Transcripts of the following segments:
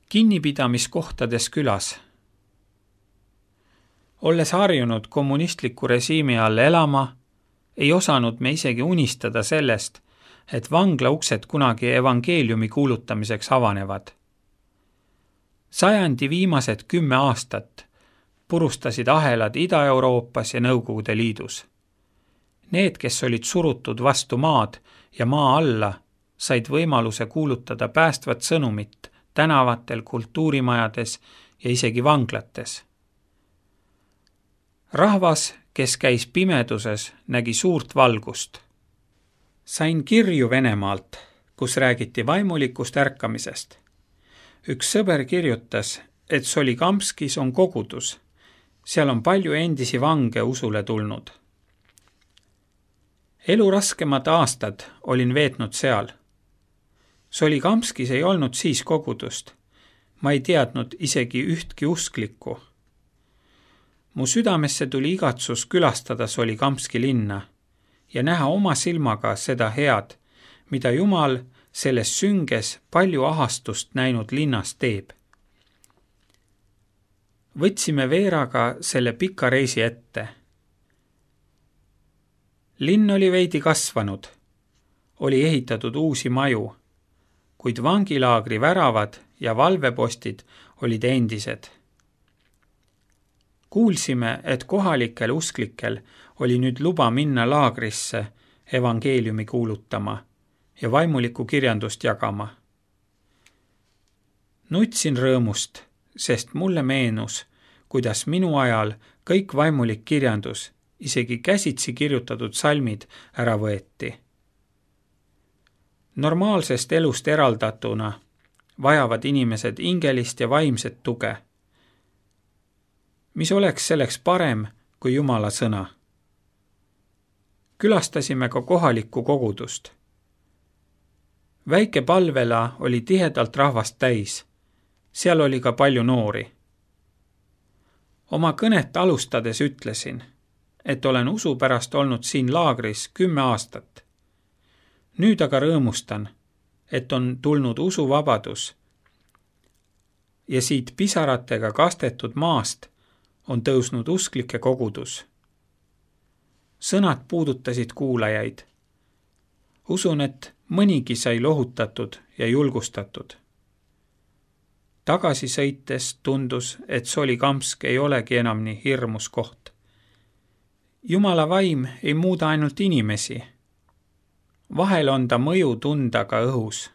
Kinnipidamiskohtades külas. Olles harjunud kommunistliku režiimi all elama, ei osanud me isegi unistada sellest, et vangla uksed kunagi evangeeliumi kuulutamiseks avanevad. Sajandi viimased 10 aastat purustasid ahelad Ida-Euroopas ja Nõukogude Liidus. Need, kes olid surutud vastu maad ja maa alla, said võimaluse kuulutada päästvat sõnumit tänavatel, kultuurimajades ja isegi vanglates. Rahvas, kes käis pimeduses, nägi suurt valgust. Sain kirju Venemaalt, kus räägiti vaimulikust ärkamisest. Üks sõber kirjutas, et Solikamskis on kogudus. Seal on palju endisi vange usule tulnud. Elu raskemad aastad olin veetnud seal. Solikamskis ei olnud siis kogudust. Ma ei teadnud isegi ühtki usklikku. Mu südamesse tuli igatsus külastada Solikamski linna ja näha oma silmaga seda head, mida Jumal selles sünges palju ahastust näinud linnas teeb. Võtsime Veeraga selle pika reisi ette. Linn oli veidi kasvanud, oli ehitatud uusi maju, kuid vangilaagri väravad ja valvepostid olid endised. Kuulsime, et kohalikel usklikel oli nüüd luba minna laagrisse evangeeliumi kuulutama ja vaimulikku kirjandust jagama. Nutsin rõõmust, sest mulle meenus, kuidas minu ajal kõik vaimulik kirjandus, isegi käsitsi kirjutatud salmid ära võeti. Normaalsest elust eraldatuna vajavad inimesed ingelist ja vaimset tuge. Mis oleks selleks parem kui Jumala sõna? Külastasime ka kohalikku kogudust. Väike palvela oli tihedalt rahvast täis. Seal oli ka palju noori. Oma kõnet alustades ütlesin, et olen usu pärast olnud siin laagris 10 aastat. Nüüd aga rõõmustan, et on tulnud usuvabadus ja siit pisaratega kastetud maast on tõusnud usklike kogudus. Sõnad puudutasid kuulajaid. Usun, et mõnigi sai lohutatud ja julgustatud. Tagasi sõites tundus, et Solikamsk ei olegi enam nii hirmus koht. Jumala vaim ei muuda ainult inimesi. Vahel on ta mõju tunda ka õhus.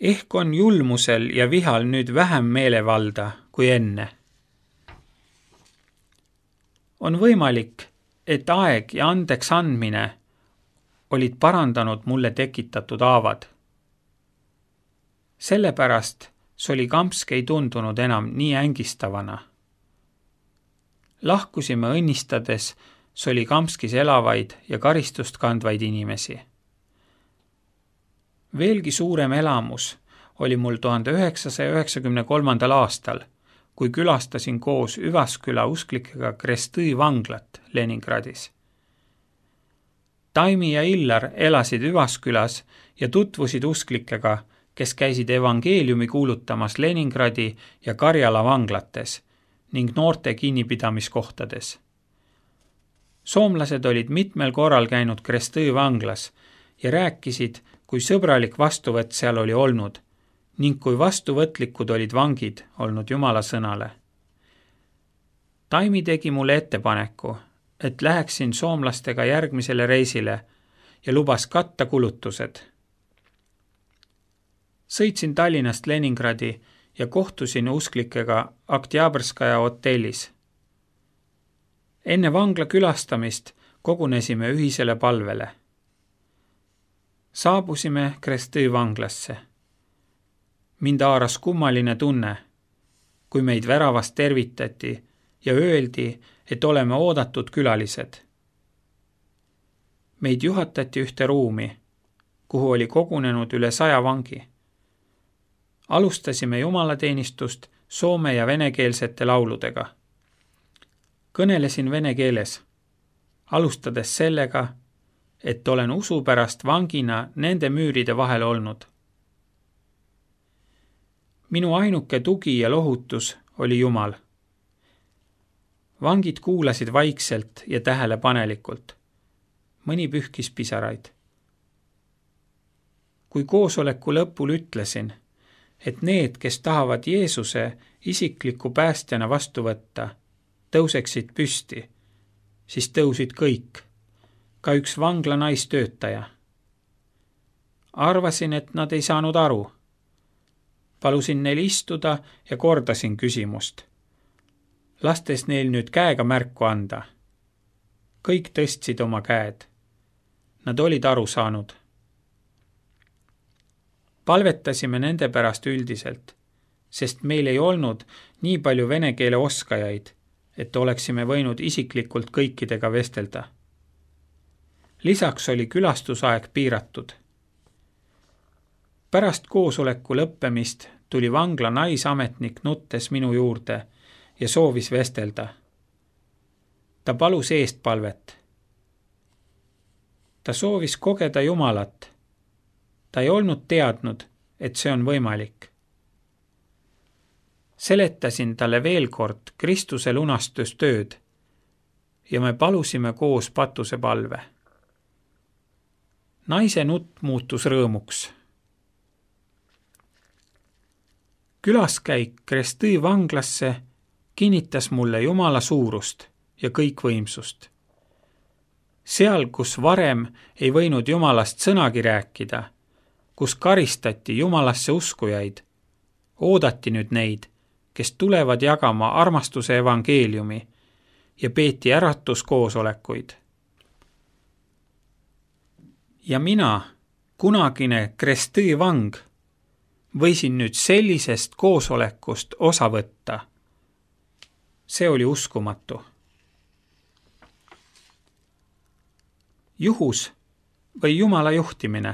Ehk on julmusel ja vihal nüüd vähem meelevalda kui enne. On võimalik, et aeg ja andeks andmine olid parandanud mulle tekitatud haavad. Sellepärast Solikamsk ei tundunud enam nii ängistavana. Lahkusime õnnistades Solikamskis elavaid ja karistust kandvaid inimesi. Veelgi suurem elamus oli mul 1993. aastal, kui külastasin koos Üvasküla usklikega Krestõi vanglat Leningradis. Taimi ja Illar elasid Üvaskülas ja tutvusid usklikega, kes käisid evangeeliumi kuulutamas Leningradi ja Karjala vanglates ning noorte kinnipidamiskohtades. Soomlased olid mitmel korral käinud Krestõi vanglas ja rääkisid, kui sõbralik vastuvõtt seal oli olnud ning kui vastuvõtlikud olid vangid olnud Jumala sõnale. Taimi tegi mulle ettepaneku, et läheksin soomlastega järgmisele reisile ja lubas katta kulutused. Sõitsin Tallinnast Leningradi ja kohtusin usklikega Oktjabrskaja hotellis. Enne vangla külastamist kogunesime ühisele palvele. Saabusime Krestõi vanglasse. Mind haaras kummaline tunne, kui meid väravast tervitati ja öeldi, et oleme oodatud külalised. Meid juhatati ühte ruumi, kuhu oli kogunenud üle 100 vangi. Alustasime jumalateenistust soome- ja venekeelsete lauludega. Kõnelesin vene keeles, alustades sellega, et olen usu pärast vangina nende müüride vahel olnud. Minu ainuke tugi ja lohutus oli Jumal. Vangid kuulasid vaikselt ja tähelepanelikult. Mõni pühkis pisaraid. Kui koosoleku lõpul ütlesin, et need, kes tahavad Jeesuse isikliku päästjana vastu võtta, tõuseksid püsti, siis tõusid kõik, ka üks vangla naistöötaja. Arvasin, et nad ei saanud aru. Palusin neil istuda ja kordasin küsimust, lastes neil nüüd käega märku anda. Kõik tõstsid oma käed. Nad olid aru saanud. Palvetasime nende pärast üldiselt, sest meil ei olnud nii palju vene keele oskajaid, et oleksime võinud isiklikult kõikidega vestelda. Lisaks oli külastusaeg piiratud. Pärast koosoleku lõppemist tuli vangla naisametnik nuttes minu juurde ja soovis vestelda. Ta palus eestpalvet. Ta soovis kogeda Jumalat. Ta ei olnud teadnud, et see on võimalik. Seletasin talle veel kord Kristuse lunastustööd ja me palusime koos patusepalve. Naise nutt muutus rõõmuks. Külaskäik Krestõi vanglasse kinnitas mulle Jumala suurust ja kõikvõimsust. Seal, kus varem ei võinud Jumalast sõnagi rääkida, kus karistati Jumalasse uskujaid, oodati nüüd neid, kes tulevad jagama armastuse evangeeliumi ja peeti äratuskoosolekuid. Ja mina, kunagine Krestõi vang, võisin nüüd sellisest koosolekust osa võtta. See oli uskumatu. Juhus või Jumala juhtimine?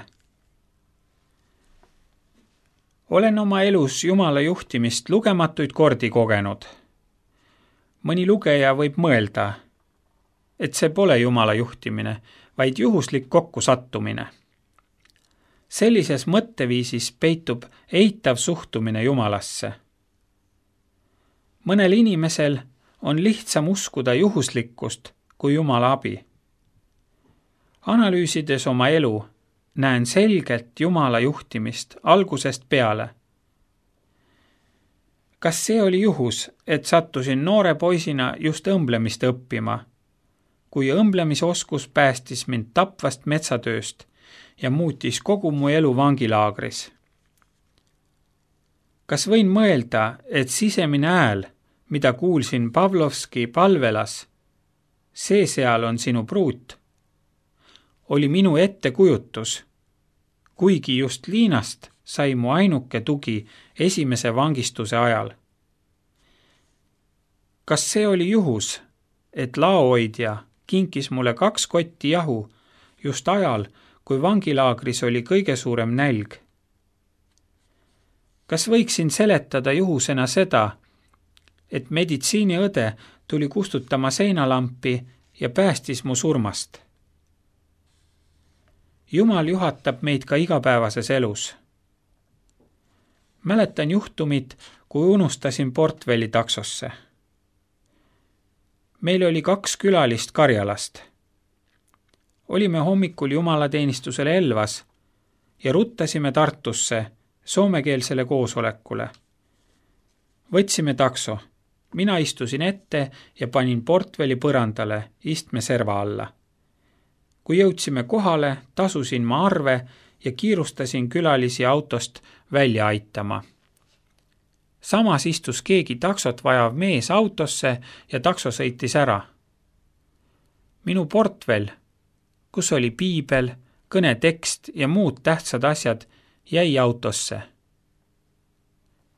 Olen oma elus Jumala juhtimist lugematuid kordi kogenud. Mõni lugeja võib mõelda, et see pole Jumala juhtimine, vaid juhuslik kokkusattumine. Sellises mõtteviisis peitub eitav suhtumine Jumalasse. Mõnel inimesel on lihtsam uskuda juhuslikkust kui Jumala abi. Analüüsides oma elu, näen selgelt Jumala juhtimist algusest peale. Kas see oli juhus, et sattusin noore poisina just õmblemist õppima, kui õmblemisoskus päästis mind tapvast metsatööst ja muutis kogu mu elu vangilaagris? Kas võin mõelda, et sisemine hääl, mida kuulsin Pavlovski palvelas, see seal on sinu pruut, oli minu ettekujutus, kuigi just Liinast sai mu ainuke tugi esimese vangistuse ajal? Kas see oli juhus, et laohoidja kinkis mulle 2 kotti jahu just ajal, kui vangilaagris oli kõige suurem nälg? Kas võiksin seletada juhusena seda, et meditsiiniõde tuli kustutama seinalampi ja päästis mu surmast? Jumal juhatab meid ka igapäevases elus. Mäletan juhtumit, kui unustasin portfelli taksosse. Meil oli 2 külalist Karjalast. Olime hommikul jumalateenistusel Elvas ja ruttasime Tartusse soomekeelsele koosolekule. Võtsime takso. Mina istusin ette ja panin portfelli põrandale istmeserva alla. Kui jõudsime kohale, tasusin ma arve ja kiirustasin külalisi autost välja aitama. Samas istus keegi taksot vajav mees autosse ja takso sõitis ära. Minu portfell, kus oli piibel, kõnetekst ja muud tähtsad asjad, jäi autosse.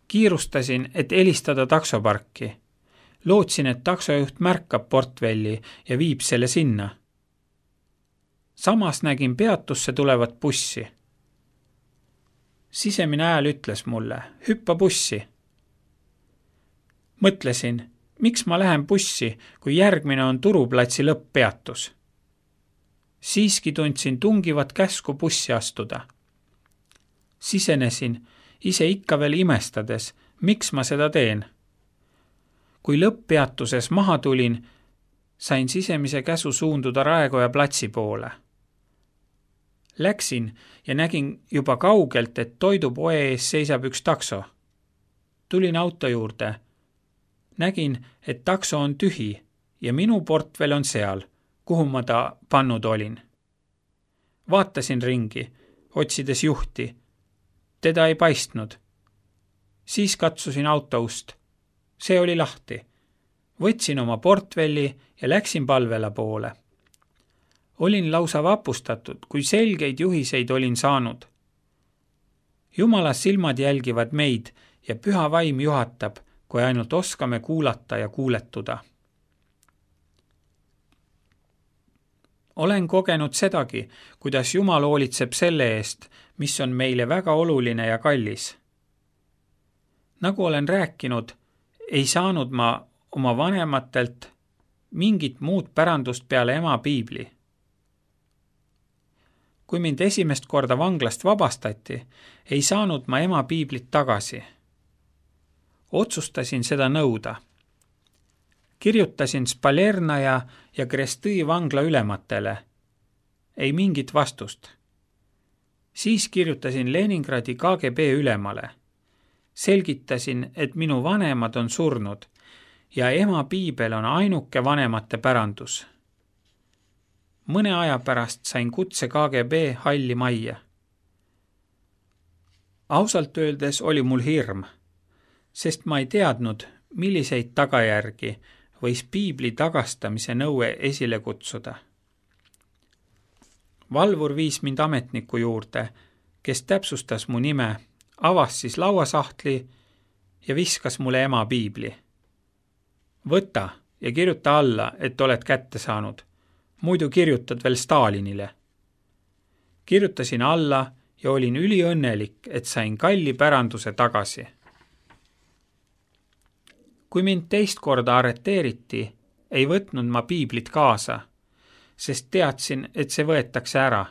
Kiirustasin, et helistada taksoparki. Lootsin, et taksojuht märkab portfelli ja viib selle sinna. Samas nägin peatusse tulevat bussi. Sisemine hääl ütles mulle, hüppa bussi. Mõtlesin, miks ma lähen bussi, kui järgmine on Turuplatsi lõpppeatus. Siiski tundsin tungivat käsku bussi astuda. Sisenesin ise ikka veel imestades, miks ma seda teen. Kui lõpppeatuses maha tulin, sain sisemise käsu suunduda Raekoja platsi poole. Läksin ja nägin juba kaugelt, et toidupoe ees seisab üks takso. Tulin auto juurde. Nägin, et takso on tühi ja minu portfell on seal, kuhu ma ta pannud olin. Vaatasin ringi, otsides juhti. Teda ei paistnud. Siis katsusin auto ust. See oli lahti. Võtsin oma portfelli ja läksin palvela poole. Olin lausa vapustatud, kui selgeid juhiseid olin saanud. Jumala silmad jälgivad meid ja püha vaim juhatab, kui ainult oskame kuulata ja kuuletuda. Olen kogenud sedagi, kuidas Jumal hoolitseb selle eest, mis on meile väga oluline ja kallis. Nagu olen rääkinud, ei saanud ma oma vanematelt mingit muud pärandust peale ema piibli. Kui mind esimest korda vanglast vabastati, ei saanud ma ema piiblit tagasi. Otsustasin seda nõuda. Kirjutasin Spalernaja ja Krestõi vangla ülematele. Ei mingit vastust. Siis kirjutasin Leningradi KGB ülemale. Selgitasin, et minu vanemad on surnud ja ema piibel on ainuke vanemate pärandus. Mõne aja pärast sain kutse KGB halli majja. Ausalt öeldes oli mul hirm, sest ma ei teadnud, milliseid tagajärgi võis piibli tagastamise nõue esile kutsuda. Valvur viis mind ametniku juurde, kes täpsustas mu nime, avas siis lauasahtli ja viskas mulle ema piibli. Võta ja kirjuta alla, et oled kätte saanud. Muidu kirjutad veel Stalinile. Kirjutasin alla ja olin üliõnnelik, et sain kalli päranduse tagasi. Kui mind teist korda arreteeriti, ei võtnud ma piiblit kaasa, sest teadsin, et see võetakse ära.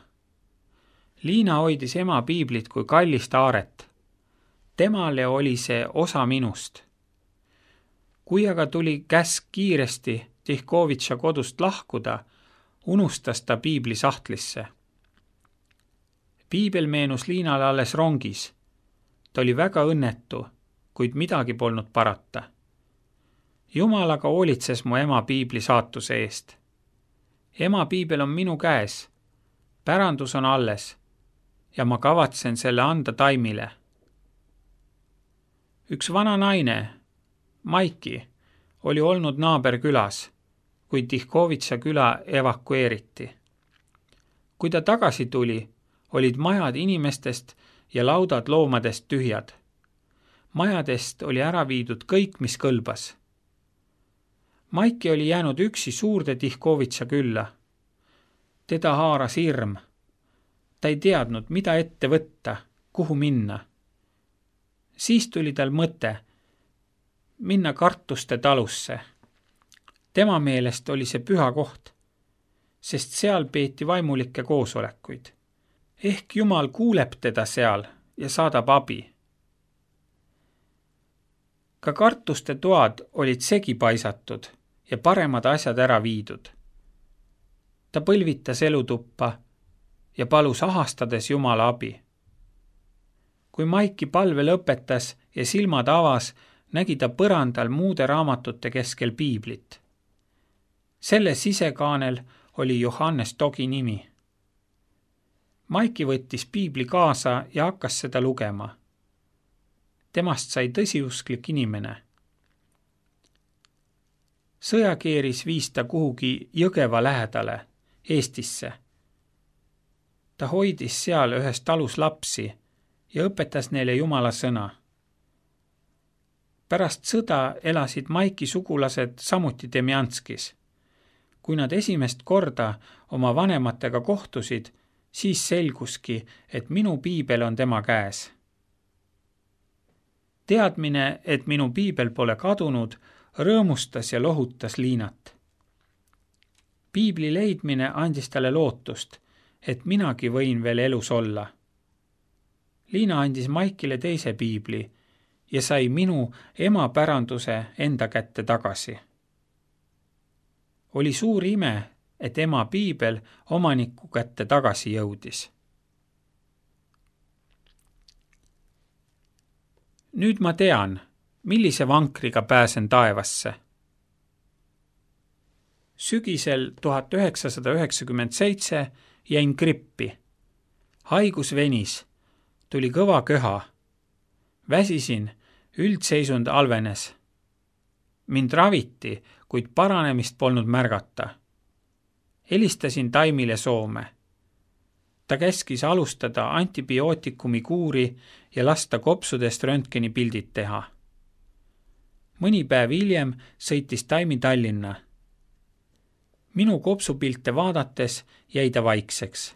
Liina hoidis ema piiblit kui kallist aaret. Temale oli see osa minust. Kui aga tuli käsk kiiresti Tihkovitša kodust lahkuda, unustas ta piibli sahtlisse. Piibel meenus Liinale alles rongis. Ta oli väga õnnetu, kuid midagi polnud parata. Jumal aga hoolitses mu ema piibli saatuse eest. Ema piibel on minu käes. Pärandus on alles ja ma kavatsen selle anda Taimile. Üks vana naine, Maiki, oli olnud naaberkülas, kui Tihkovitša küla evakueeriti. Kui ta tagasi tuli, olid majad inimestest ja laudad loomadest tühjad. Majadest oli ära viidud kõik, mis kõlbas. Maiki oli jäänud üksi suurde Tihkovitša külla. Teda haaras hirm. Ta ei teadnud, mida ette võtta, kuhu minna. Siis tuli tal mõte minna Kartuste talusse. Tema meelest oli see püha koht, sest seal peeti vaimulikke koosolekuid. Ehk Jumal kuuleb teda seal ja saadab abi. Ka Kartuste toad olid segi paisatud ja paremad asjad ära viidud. Ta põlvitas elutuppa ja palus ahastades Jumala abi. Kui Maiki palve lõpetas ja silmad avas, nägi ta põrandal muude raamatute keskel piiblit. Selle sisekaanel oli Johannes Togi nimi. Maiki võttis piibli kaasa ja hakkas seda lugema. Temast sai tõsiusklik inimene. Sõjakeeris viis ta kuhugi Jõgeva lähedale, Eestisse. Ta hoidis seal ühes talus lapsi ja õpetas neile Jumala sõna. Pärast sõda elasid Maiki sugulased samuti Demjanskis. Kui nad esimest korda oma vanematega kohtusid, siis selguski, et minu piibel on tema käes. Teadmine, et minu piibel pole kadunud, rõõmustas ja lohutas Liinat. Piibli leidmine andis talle lootust, et minagi võin veel elus olla. Liina andis Maikile teise piibli ja sai minu ema päranduse enda kätte tagasi. Oli suur ime, et ema piibel omaniku kätte tagasi jõudis. Nüüd ma tean, millise vankriga pääsen taevasse. Sügisel 1997 jäin grippi. Haigus venis, tuli kõva köha. Väsisin, üldseisund halvenes. Mind raviti, kuid paranemist polnud märgata. Helistasin Taimile Soome. Ta käskis alustada antibiootikumi kuuri ja lasta kopsudest röntgenipildid teha. Mõni päev hiljem sõitis Taimi Tallinna. Minu kopsupilte vaadates jäi ta vaikseks.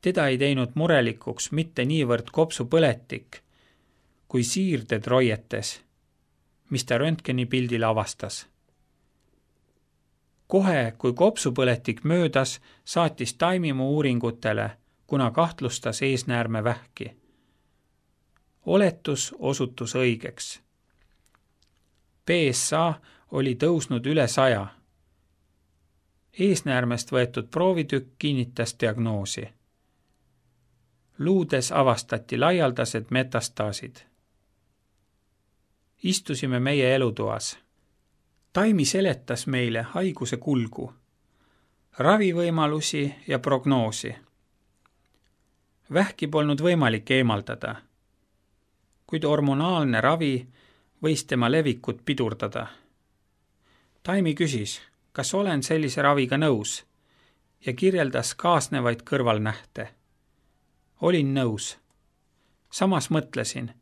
Teda ei teinud murelikuks mitte niivõrd kopsupõletik, kui siirded roietes, mis ta röntgenipildil avastas. Kohe, kui kopsupõletik möödas, saatis Taimi mu uuringutele, kuna kahtlustas eesnäärmevähki. Oletus osutus õigeks. PSA oli tõusnud üle 100. Eesnäärmest võetud proovitükk kinnitas diagnoosi. Luudes avastati laialdased metastaasid. Istusime meie elutoas. Taimi seletas meile haiguse kulgu, ravivõimalusi ja prognoosi. Vähki polnud võimalik eemaldada, kuid hormonaalne ravi võis tema levikut pidurdada. Taimi küsis, kas olen sellise raviga nõus ja kirjeldas kaasnevaid kõrvalnähte. Olin nõus. Samas mõtlesin,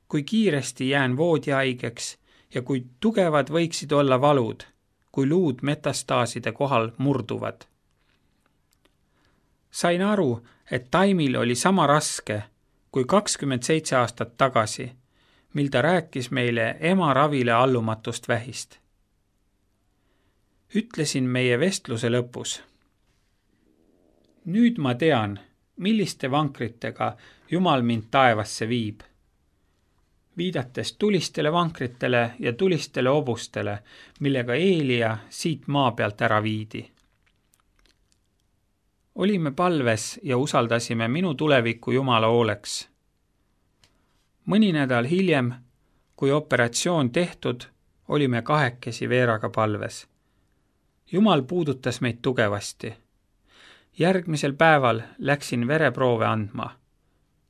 kui kiiresti jään voodihaigeks ja kui tugevad võiksid olla valud, kui luud metastaaside kohal murduvad. Sain aru, et Taimil oli sama raske kui 27 aastat tagasi, mil ta rääkis meile ema ravile allumatust vähist. Ütlesin meie vestluse lõpus. Nüüd ma tean, milliste vankritega Jumal mind taevasse viib. Viidates tulistele vankritele ja tulistele hobustele, millega Eelia siit maa pealt ära viidi. Olime palves ja usaldasime minu tuleviku Jumala hooleks. Mõni nädal hiljem, kui operatsioon tehtud, olime kahekesi Veeraga palves. Jumal puudutas meid tugevasti. Järgmisel päeval läksin vereproove andma.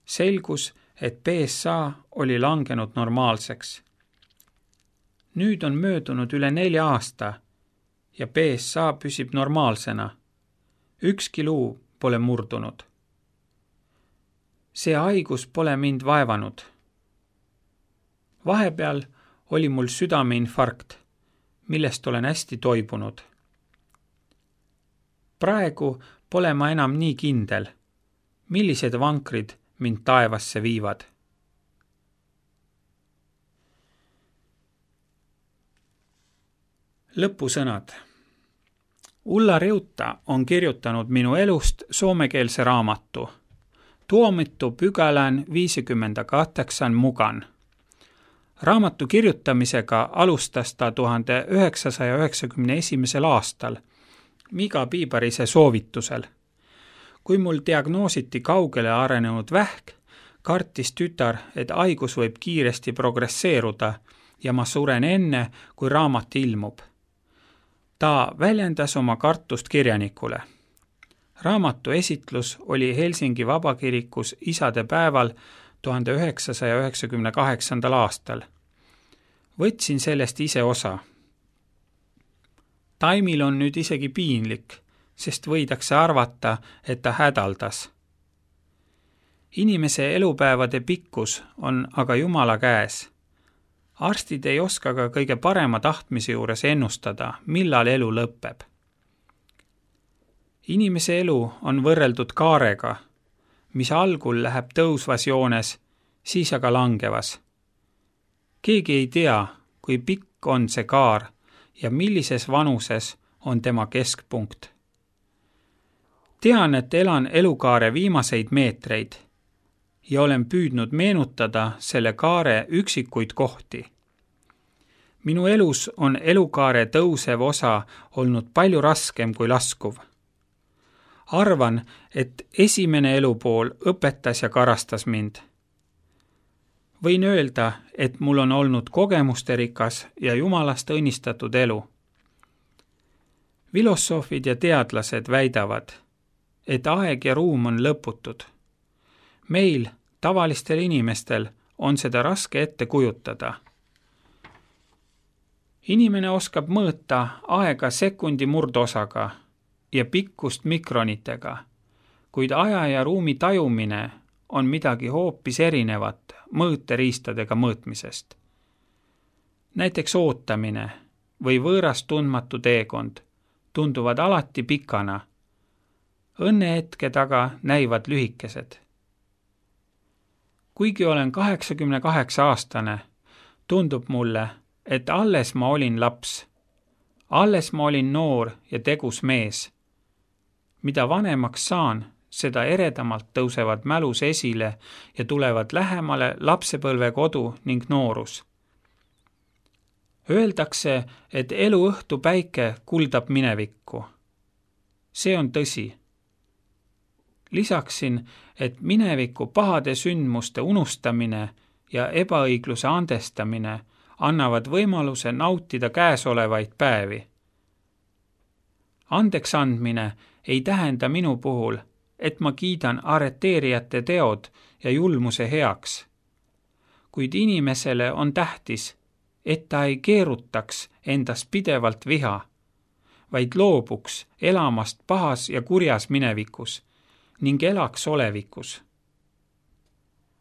Selgus, et PSA oli langenud normaalseks. Nüüd on möödunud üle 4 aasta ja PSA püsib normaalsena. Ükski luu pole murdunud. See haigus pole mind vaevanud. Vahepeal oli mul südameinfarkt, millest olen hästi toibunud. Praegu pole ma enam nii kindel, millised vankrid mind taevasse viivad. Lõpusõnad. Ulla Reutta on kirjutanud minu elust soomekeelse raamatu Tuomittu pykälän 58 mukaan. Raamatu kirjutamisega alustas ta 1991. aastal Miga Piibarise soovitusel. Kui mul diagnoositi kaugele arenenud vähk, kartis tütar, et haigus võib kiiresti progresseeruda ja ma suren enne, kui raamat ilmub. Ta väljendas oma kartust kirjanikule. Raamatu esitlus oli Helsingi Vabakirikus isade päeval 1998. aastal. Võtsin sellest ise osa. Taimil on nüüd isegi piinlik, sest võidakse arvata, et ta hädaldas. Inimese elupäevade pikkus on aga Jumala käes. Arstid ei oska ka kõige parema tahtmise juures ennustada, millal elu lõpeb. Inimese elu on võrreldud kaarega, mis algul läheb tõusvas joones, siis aga langevas. Keegi ei tea, kui pikk on see kaar ja millises vanuses on tema keskpunkt. Tean, et elan elukaare viimaseid meetreid, ja olen püüdnud meenutada selle kaare üksikuid kohti. Minu elus on elukaare tõusev osa olnud palju raskem kui laskuv. Arvan, et esimene elupool õpetas ja karastas mind. Võin öelda, et mul on olnud kogemusterikas ja Jumalast õnnistatud elu. Filosoofid ja teadlased väidavad, et aeg ja ruum on lõputud. Meil, tavalistel inimestel, on seda raske ette kujutada. Inimene oskab mõõta aega sekundi murdosaga ja pikkust mikronitega, kuid aja ja ruumi tajumine on midagi hoopis erinevat mõõteriistadega mõõtmisest. Näiteks ootamine või võõras tundmatu teekond tunduvad alati pikana. Õnnehetke taga näivad lühikesed. Kuigi olen 88-aastane, tundub mulle, et alles ma olin laps. Alles ma olin noor ja tegus mees. Mida vanemaks saan, seda eredamalt tõusevad mälus esile ja tulevad lähemale lapsepõlvekodu ning noorus. Öeldakse, et eluõhtu päike kuldab minevikku. See on tõsi. Lisaksin, et mineviku pahade sündmuste unustamine ja ebaõigluse andestamine annavad võimaluse nautida käesolevaid päevi. Andeks andmine ei tähenda minu puhul, et ma kiidan arreteerijate teod ja julmuse heaks. Kuid inimesele on tähtis, et ta ei keerutaks endas pidevalt viha, vaid loobuks elamast pahas ja kurjas minevikus ning elaks olevikus.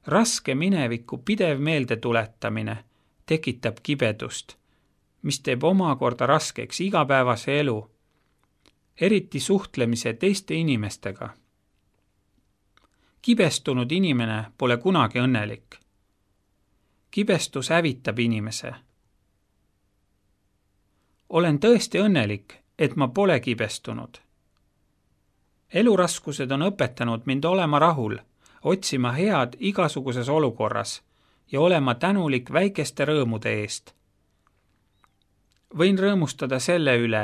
Raske mineviku pidev meeldetuletamine tekitab kibedust, mis teeb omakorda raskeks igapäevase elu, eriti suhtlemise teiste inimestega. Kibestunud inimene pole kunagi õnnelik. Kibestus hävitab inimese. Olen tõesti õnnelik, et ma pole kibestunud. Eluraskused on õpetanud mind olema rahul, otsima head igasuguses olukorras ja olema tänulik väikeste rõõmude eest. Võin rõõmustada selle üle,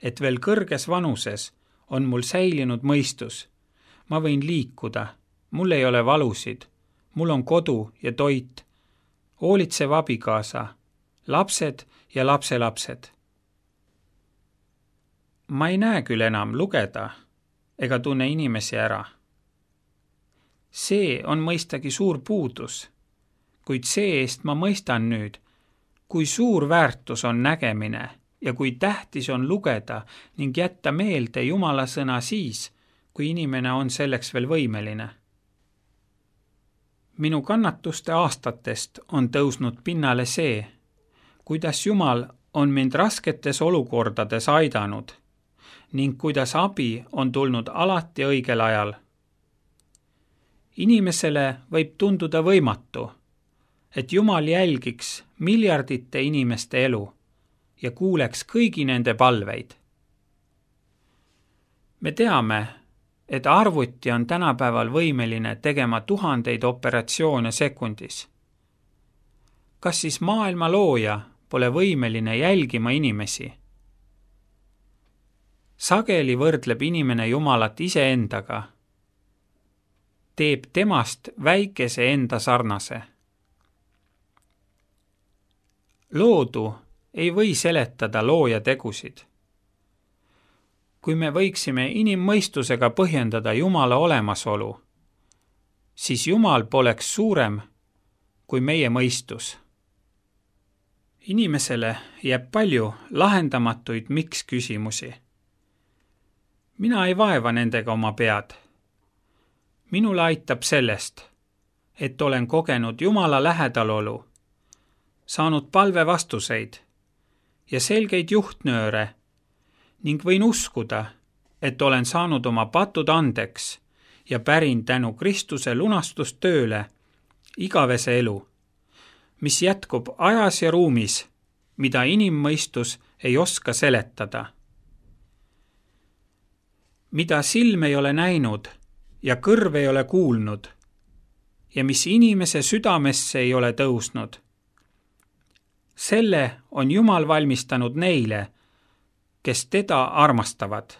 et veel kõrges vanuses on mul säilinud mõistus. Ma võin liikuda, mul ei ole valusid, mul on kodu ja toit, hoolitsev abikaasa, lapsed ja lapselapsed. Ma ei näe küll enam lugeda ega tunne inimesi ära. See on mõistagi suur puudus, kuid see-eest ma mõistan nüüd, kui suur väärtus on nägemine ja kui tähtis on lugeda ning jätta meelde Jumala sõna siis, kui inimene on selleks veel võimeline. Minu kannatuste aastatest on tõusnud pinnale see, kuidas Jumal on mind rasketes olukordades aidanud ning kuidas abi on tulnud alati õigel ajal. Inimesele võib tunduda võimatu, et Jumal jälgiks miljardite inimeste elu ja kuuleks kõigi nende palveid. Me teame, et arvuti on tänapäeval võimeline tegema 1000 operatsioone sekundis. Kas siis maailma looja pole võimeline jälgima inimesi? Sageli võrdleb inimene Jumalat iseendaga, teeb temast väikese enda sarnase. Loodu ei või seletada looja tegusid. Kui me võiksime inimmõistusega põhjendada Jumala olemasolu, siis Jumal poleks suurem kui meie mõistus. Inimesele jääb palju lahendamatuid miks küsimusi. Mina ei vaeva nendega oma pead. Minule aitab sellest, et olen kogenud Jumala lähedalolu, saanud palvevastuseid ja selgeid juhtnööre ning võin uskuda, et olen saanud oma patud andeks ja pärin tänu Kristuse lunastustööle igavese elu, mis jätkub ajas ja ruumis, mida inimmõistus ei oska seletada. Mida silm ei ole näinud ja kõrv ei ole kuulnud ja mis inimese südamesse ei ole tõusnud. Selle on Jumal valmistanud neile, kes teda armastavad.